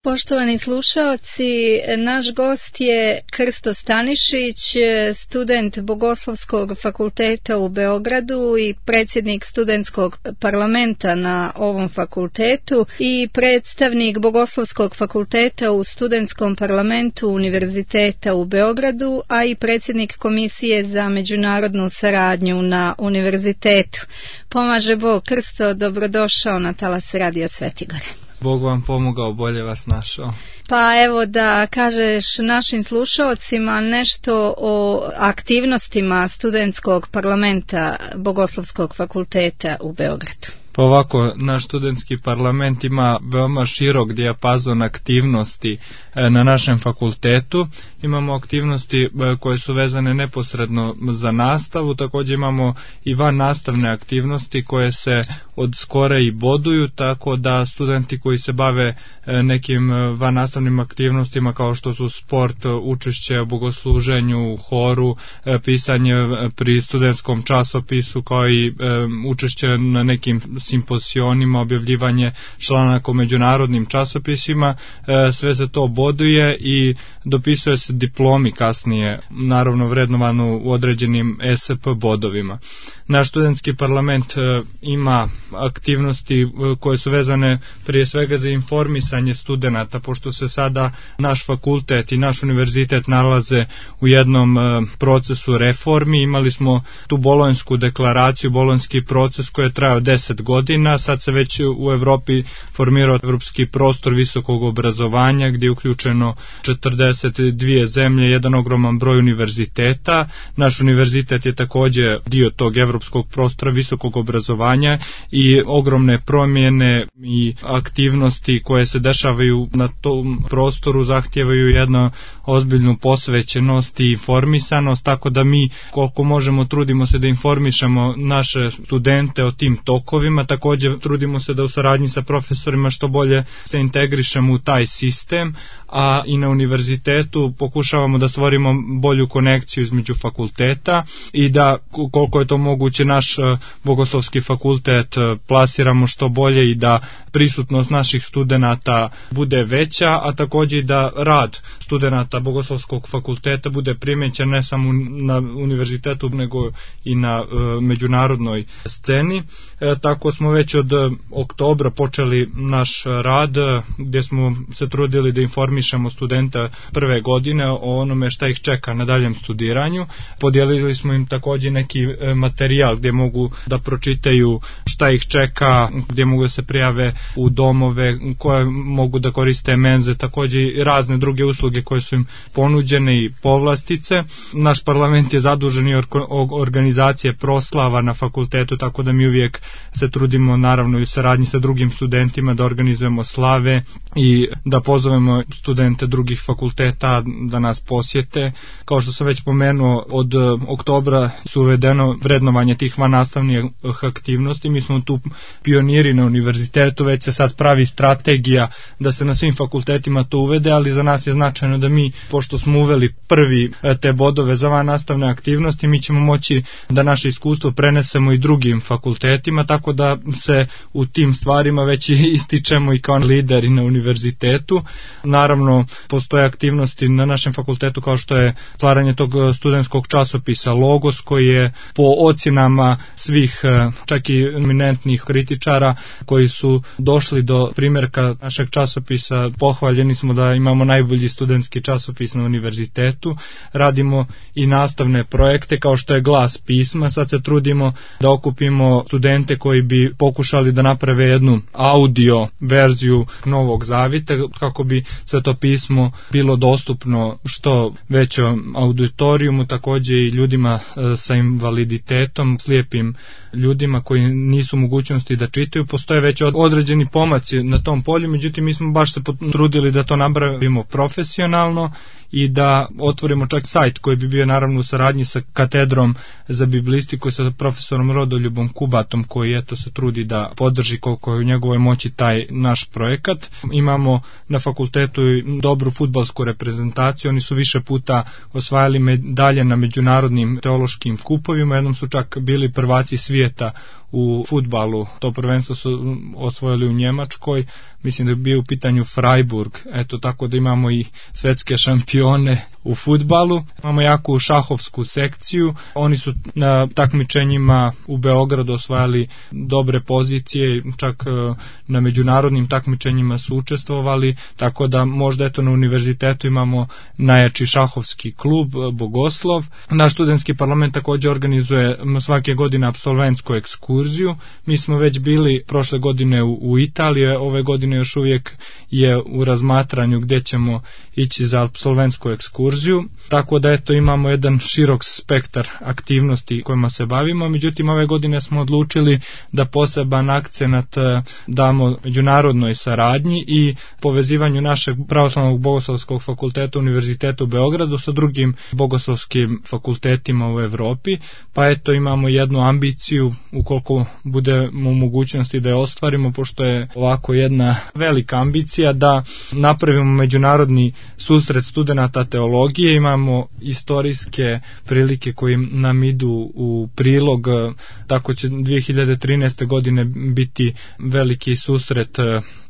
Poštovani slušaoci, naš gost je Krsto Stanišić, student Bogoslovskog fakulteta u Beogradu i predsjednik studentskog parlamenta na ovom fakultetu i predstavnik Bogoslovskog fakulteta u studentskom parlamentu Univerziteta u Beogradu, a i predsjednik Komisije za međunarodnu saradnju na univerzitetu. Pomaže Bog. Krsto, dobrodošao na Talas Radio Svetigore. Bog vam pomogao, bolje vas našao. Pa evo da kažeš našim slušalcima nešto o aktivnostima studentskog parlamenta Bogoslovskog fakulteta u Beogradu. Pa ovako, naš studentski parlament ima veoma širok dijapazon aktivnosti na našem fakultetu. Imamo aktivnosti koje su vezane neposredno za nastavu, također imamo i van nastavne aktivnosti koje se od skora i boduju, tako da studenti koji se bave nekim van nastavnim aktivnostima kao što su sport, učešće u bogosluženju, u horu, pisanje pri studentskom časopisu, kao i učešće na nekim simposionima, objavljivanje članaka u međunarodnim časopisima, sve se to boduje i dopisuje se diplomi kasnije, naravno vrednovanu u određenim ESP bodovima. Naš studentski parlament ima aktivnosti koje su vezane prije svega za informisanje studenata, pošto se sada naš fakultet i naš univerzitet nalaze u jednom procesu reformi. Imali smo tu bolonjsku deklaraciju, bolonjski proces koji je trajao 10 godina, sad se već u Evropi formirao evropski prostor visokog obrazovanja gdje je uključeno 42 zemlje, jedan ogroman broj univerziteta. Naš univerzitet je također dio tog evropskog prostora visokog obrazovanja i ogromne promjene i aktivnosti koje se dešavaju na tom prostoru zahtijevaju jednu ozbiljnu posvećenost i informisanost, tako da mi koliko možemo trudimo se da informišemo naše studente o tim tokovima, također trudimo se da u saradnji sa profesorima što bolje se integrišemo u taj sistem, a i na univerzitetu pokušavamo da stvorimo bolju konekciju između fakulteta i da koliko je to moguće naš Bogoslovski fakultet plasiramo što bolje i da prisutnost naših studenata bude veća, a također i da rad studenata Bogoslovskog fakulteta bude primećen ne samo na univerzitetu nego i na međunarodnoj sceni. Tako smo već od oktobra počeli naš rad gdje smo se trudili da informišemo studenta prve godine o onome šta ih čeka na daljem studiranju. Podijelili smo im također neki materijal gdje mogu da pročitaju šta ih čeka, gdje mogu da se prijave u domove, koje mogu da koriste menze, također i razne druge usluge koje su im ponuđene i povlastice. Naš parlament je zadužen i organizacije proslava na fakultetu, tako da mi uvijek se trudimo naravno i u saradnji sa drugim studentima da organizujemo slave i da pozovemo studente drugih fakulteta da nas posjete. Kao što sam već pomenuo, od oktobra su uvedeno vrednovanje tih vannastavnih aktivnosti. Mi smo tu pioniri na univerzitetu, već se sad pravi strategija da se na svim fakultetima to uvede, ali za nas je značajno da mi, pošto smo uveli prvi te bodove za vannastavne aktivnosti, mi ćemo moći da naše iskustvo prenesemo i drugim fakultetima, tako da se u tim stvarima već ističemo i kao lideri na univerzitetu. Naravno, postoje aktivnosti na našem fakultetu kao što je stvaranje tog studentskog časopisa Logos, koji je po ocjenama svih, čak i eminentnih kritičara koji su došli do primjerka našeg časopisa, pohvaljeni smo da imamo najbolji studentski časopis na univerzitetu. Radimo i nastavne projekte kao što je Glas pisma. Sad se trudimo da okupimo studente koji bi pokušali da naprave jednu audio verziju Novog Zavita kako bi sve to pismo bilo dostupno što većom auditorijumu, također i ljudima sa invaliditetom, slijepim ljudima koji nisu u mogućnosti da čitaju. Postoje već određeni pomaci na tom polju, međutim mi smo baš se potrudili da to napravimo profesionalno i da otvorimo čak sajt koji bi bio naravno u saradnji sa katedrom za biblistiku i sa profesorom Rodoljubom Kubatom, koji eto se trudi da podrži koliko je u njegovoj moći taj naš projekat. Imamo na fakultetu dobru fudbalsku reprezentaciju, oni su više puta osvajali medalje na međunarodnim teološkim skupovima, jednom su čak bili prvaci svijeta u fudbalu. To prvenstvo su osvojili u Njemačkoj, mislim da je bio u pitanju Freiburg, eto tako da imamo i svetske šampione u fudbalu. Imamo jaku šahovsku sekciju, oni su na takmičenjima u Beogradu osvajali dobre pozicije, čak na međunarodnim takmičenjima su učestvovali, tako da možda eto na univerzitetu imamo najjači šahovski klub Bogoslov. Naš studentski parlament također organizuje svake godine apsolventsku ekskurziju. Mi smo već bili prošle godine u Italiji, ove godine još uvijek je u razmatranju gdje ćemo ići za apsolventsku ekskurziju, tako da eto imamo jedan širok spektar aktivnosti kojima se bavimo. Međutim, ove godine smo odlučili da poseban akcenat damo međunarodnoj saradnji i povezivanju našeg pravoslavnog bogoslovskog fakulteta Univerziteta u Beogradu sa drugim bogoslovskim fakultetima u Europi, pa eto imamo jednu ambiciju, ukoliko budemo u mogućnosti da je ostvarimo, pošto je ovako jedna velika ambicija, da napravimo međunarodni susret studenata teologije. Imamo istorijske prilike koji nam idu u prilog, tako će 2013. godine biti veliki susret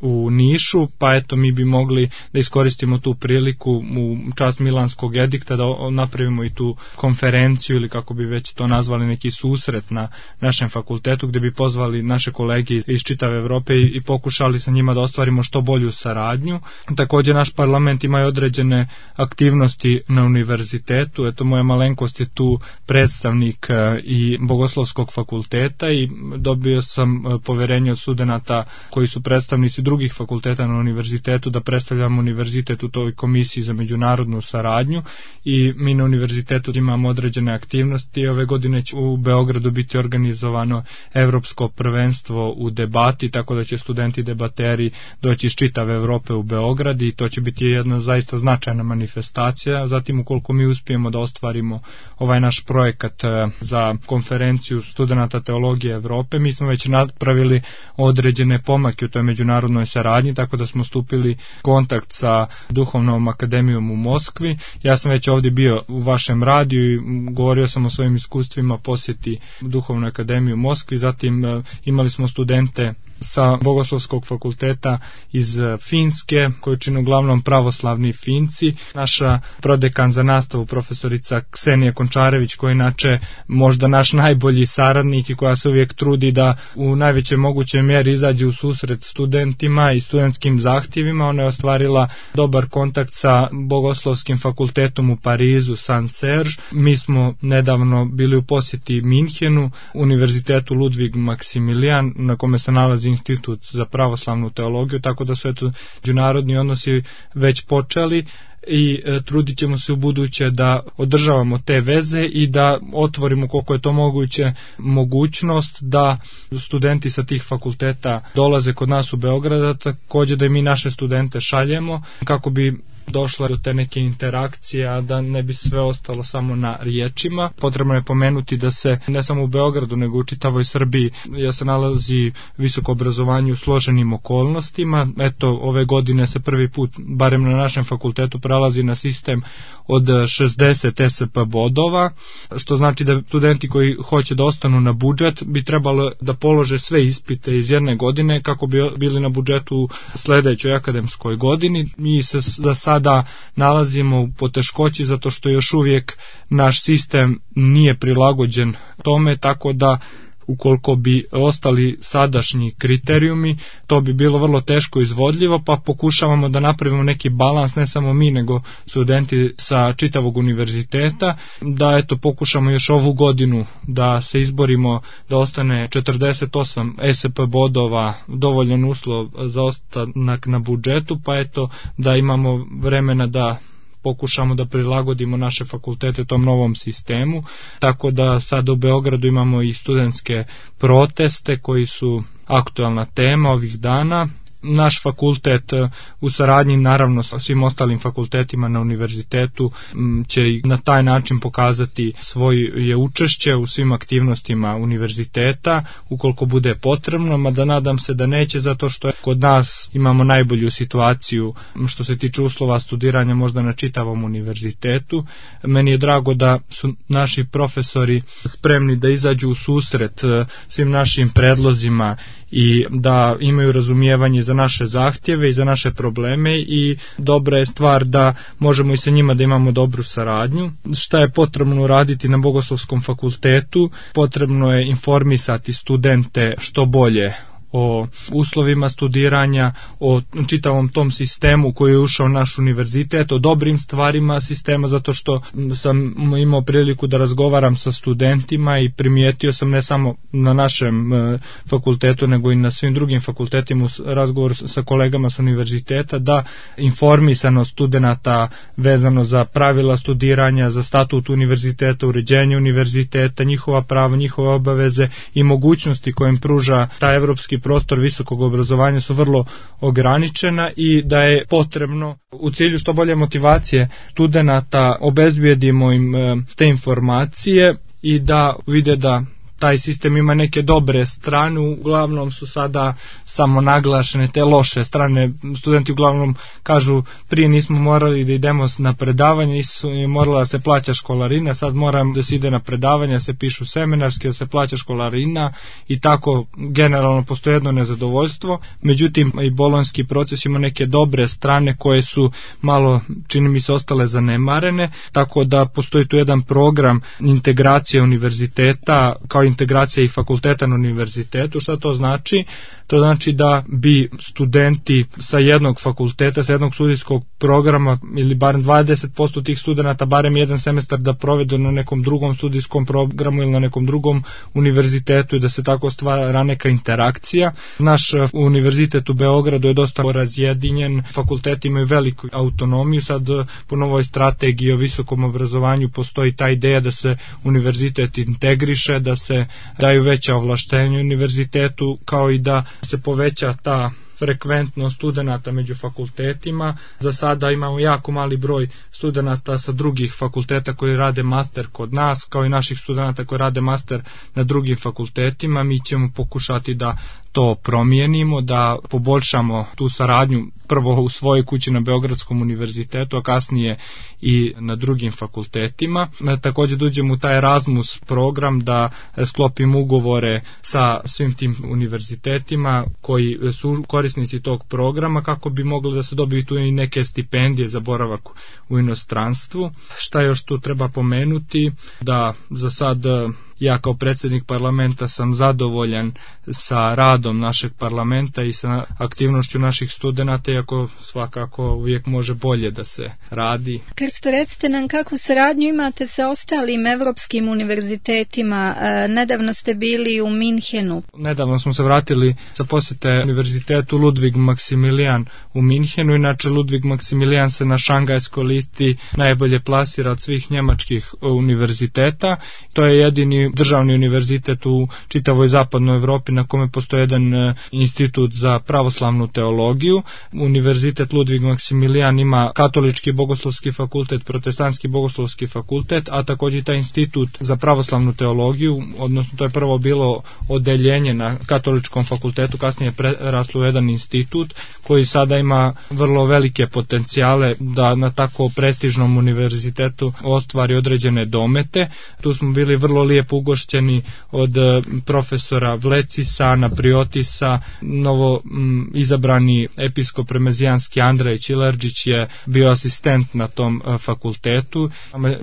u Nišu, pa eto mi bi mogli da iskoristimo tu priliku u čast Milanskog edikta da napravimo i tu konferenciju ili kako bi već to nazvali neki susret na našem fakultetu gdje bi pozvali naše kolege iz čitave Evrope i pokušali sa njima da ostvarimo što bolju saradnju. Također naš parlament ima i određene aktivnosti na univerzitetu, eto moja malenkost je tu predstavnik i Bogoslovskog fakulteta i dobio sam poverenje od studenata koji su predstavnici drugih fakulteta na univerzitetu da predstavljamo univerzitet u toj komisiji za međunarodnu saradnju i mi na univerzitetu imamo određene aktivnosti. Ove godine će u Beogradu biti organizovano evropsko prvenstvo u debati, tako da će studenti debateri doći iz čitave Evrope u Beograd i to će biti jedna zaista značajna manifestacija. Zatim ukoliko mi uspijemo da ostvarimo ovaj naš projekat za konferenciju studenata teologije Evrope, mi smo već napravili određene pomake u toj međunarodnoj saradnji, tako da smo stupili kontakt sa Duhovnom akademijom u Moskvi. Ja sam već ovdje bio u vašem radiju i govorio sam o svojim iskustvima posjeti Duhovnoj akademiji u Moskvi. Zatim imali smo studente sa Bogoslovskog fakulteta iz Finske, koji čine uglavnom pravoslavni Finci. Naša prodekan za nastavu, profesorica Ksenija Končarević, koja je inače možda naš najbolji saradnik i koja se uvijek trudi da u najvećoj mogućoj mjeri izađe u susret studentima i studentskim zahtjevima. Ona je ostvarila dobar kontakt sa Bogoslovskim fakultetom u Parizu, Saint Serge. Mi smo nedavno bili u posjeti Minhenu, univerzitetu Ludvig Maksimilijan, na kome se nalazi Institut za pravoslavnu teologiju, tako da su eto međunarodni odnosi već počeli i trudit ćemo se u buduće da održavamo te veze i da otvorimo koliko je to moguće mogućnost da studenti sa tih fakulteta dolaze kod nas u Beograd, također da i mi naše studente šaljemo kako bi došla do te neke interakcije, a da ne bi sve ostalo samo na riječima. Potrebno je pomenuti da se ne samo u Beogradu nego u čitavoj Srbiji se nalazi visoko obrazovanje u složenim okolnostima. Eto, ove godine se prvi put, barem na našem fakultetu, prelazi na sistem od 60 SP bodova, što znači da studenti koji hoće da ostanu na budžet bi trebalo da polože sve ispite iz jedne godine kako bi bili na budžetu u sledećoj akademskoj godini. Mi se za sada nalazimo u poteškoći zato što još uvijek naš sistem nije prilagođen tome, tako da ukoliko bi ostali sadašnji kriterijumi, to bi bilo vrlo teško izvodljivo, pa pokušavamo da napravimo neki balans, ne samo mi, nego studenti sa čitavog univerziteta, da eto pokušamo još ovu godinu da se izborimo da ostane 48 SP bodova, dovoljan uslov za ostanak na budžetu, pa eto da imamo vremena da pokušamo da prilagodimo naše fakultete tom novom sistemu, tako da sad u Beogradu imamo i studentske proteste koji su aktualna tema ovih dana naš fakultet u saradnji naravno sa svim ostalim fakultetima na univerzitetu će na taj način pokazati svoje učešće u svim aktivnostima univerziteta ukoliko bude potrebno, mada nadam se da neće, zato što kod nas imamo najbolju situaciju što se tiče uslova studiranja možda na čitavom univerzitetu. Meni je drago da su naši profesori spremni da izađu u susret svim našim predlozima i da imaju razumijevanje za naše zahtjeve i za naše probleme, i dobra je stvar da možemo i sa njima da imamo dobru saradnju. Šta je potrebno raditi na Bogoslovskom fakultetu? Potrebno je informisati studente što bolje o uslovima studiranja, o čitavom tom sistemu koji je ušao u naš univerzitet, o dobrim stvarima sistema, zato što sam imao priliku da razgovaram sa studentima i primijetio sam ne samo na našem fakultetu nego i na svim drugim fakultetima u razgovoru sa kolegama s univerziteta da informisanost studenata vezano za pravila studiranja, za statut univerziteta, uređenje univerziteta, njihova prava, njihove obaveze i mogućnosti koje im pruža taj evropski prostor visokog obrazovanja su vrlo ograničena, i da je potrebno u cilju što bolje motivacije studenata obezbijedimo im te informacije i da vide da taj sistem ima neke dobre strane, uglavnom su sada samo naglašene te loše strane. Studenti uglavnom kažu prije nismo morali da idemo na predavanje, nisu morala da se plaća školarina, sad moram da se ide na predavanje, da se pišu seminarski, da se plaća školarina, i tako generalno postoji jedno nezadovoljstvo. Međutim, i bolonjski proces ima neke dobre strane koje su malo, čini mi se, ostale zanemarene, tako da postoji tu jedan program integracije univerziteta kao integracija i fakulteta na univerzitetu. Šta to znači? To znači da bi studenti sa jednog fakulteta, sa jednog studijskog programa, ili barem 20% tih studenata barem jedan semestar da provedu na nekom drugom studijskom programu ili na nekom drugom univerzitetu, i da se tako stvara neka interakcija. Naš univerzitet u Beogradu je dosta razjedinjen, fakulteti imaju veliku autonomiju, sad po novoj strategiji o visokom obrazovanju postoji ta ideja da se univerzitet integriše, da se daju veća ovlaštenja univerzitetu, kao i da se poveća ta frekventnost studenata među fakultetima. Za sada imamo jako mali broj studenata sa drugih fakulteta koji rade master kod nas, kao i naših studenata koji rade master na drugim fakultetima. Mi ćemo pokušati da to promijenimo, da poboljšamo tu saradnju prvo u svojoj kući na Beogradskom univerzitetu, a kasnije i na drugim fakultetima. Također da uđemo u taj Erasmus program, da sklopimo ugovore sa svim tim univerzitetima koji su korisnici tog programa, kako bi mogli da se dobiju tu i neke stipendije za boravak u inostranstvu. Šta još tu treba pomenuti? Da za sad ja kao predsjednik parlamenta sam zadovoljan sa radom našeg parlamenta i sa aktivnošću naših studenata, iako svakako uvijek može bolje da se radi. Krsto, recite nam kakvu saradnju imate sa ostalim evropskim univerzitetima. Nedavno ste bili u Minhenu. Nedavno smo se vratili sa posjete univerzitetu Ludwig Maximilian u Minhenu. Inače, Ludwig Maximilian se na šangajskoj listi najbolje plasira od svih njemačkih univerziteta. To je jedini državni univerzitet u čitavoj zapadnoj Evropi na kome postoji jedan institut za pravoslavnu teologiju. Univerzitet Ludwig Maximilian ima katolički bogoslovski fakultet, protestantski bogoslovski fakultet, a također taj institut za pravoslavnu teologiju, odnosno to je prvo bilo odeljenje na katoličkom fakultetu, kasnije je preraslo u jedan institut koji sada ima vrlo velike potencijale da na tako prestižnom univerzitetu ostvari određene domete. Tu smo bili vrlo lijepo ugošćeni od profesora Vlecisa, Napriotisa. Novo izabrani episkop remezijanski Andrej Čilerđić je bio asistent na tom fakultetu.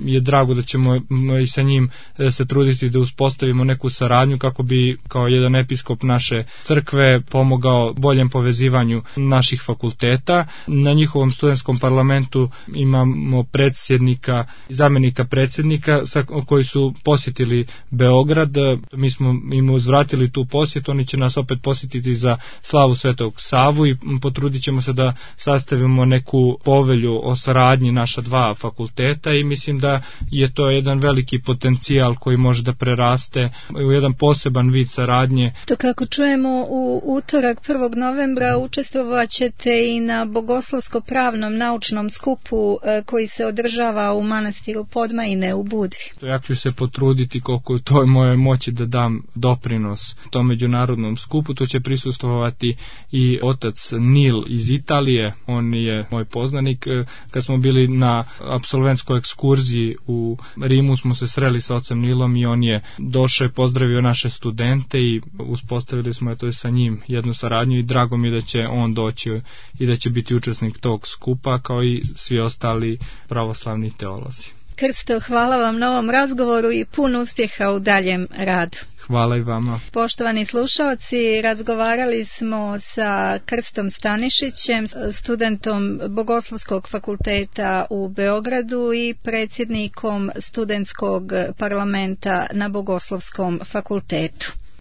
Je drago da ćemo i sa njim se truditi da uspostavimo neku saradnju kako bi kao jedan episkop naše crkve pomogao boljem povezivanju naših fakulteta. Na njihovom studentskom parlamentu imamo predsjednika i zamjenika predsjednika koji su posjetili Beograd. Mi smo im uzvratili tu posjetu, oni će nas opet posjetiti za slavu Svetog Savu i potrudit ćemo se da sastavimo neku povelju o saradnji naša dva fakulteta i mislim da je to jedan veliki potencijal koji može da preraste u jedan poseban vid saradnje. To kako čujemo u utorak 1. novembra učestvovat ćete i na bogoslovsko-pravnom naučnom skupu koji se održava u manastiru Podmajine u Budvi. Ja ću se potruditi koliko u toj mojoj moći da dam doprinos tom međunarodnom skupu. To će prisustvovati i otac Nil iz Italije, on je moj poznanik. Kad smo bili na apsolventskoj ekskurziji u Rimu smo se sreli sa ocem Nilom i on je došao i pozdravio naše studente i uspostavili smo sa njim jednu saradnju i drago mi je da će on doći i da će biti učesnik tog skupa kao i svi ostali pravoslavni teolozi. Krsto, hvala vam na ovom razgovoru i puno uspjeha u daljem radu. Hvala i vama. Poštovani slušalci, razgovarali smo sa Krstom Stanišićem, studentom Bogoslovskog fakulteta u Beogradu i predsjednikom studentskog parlamenta na Bogoslovskom fakultetu.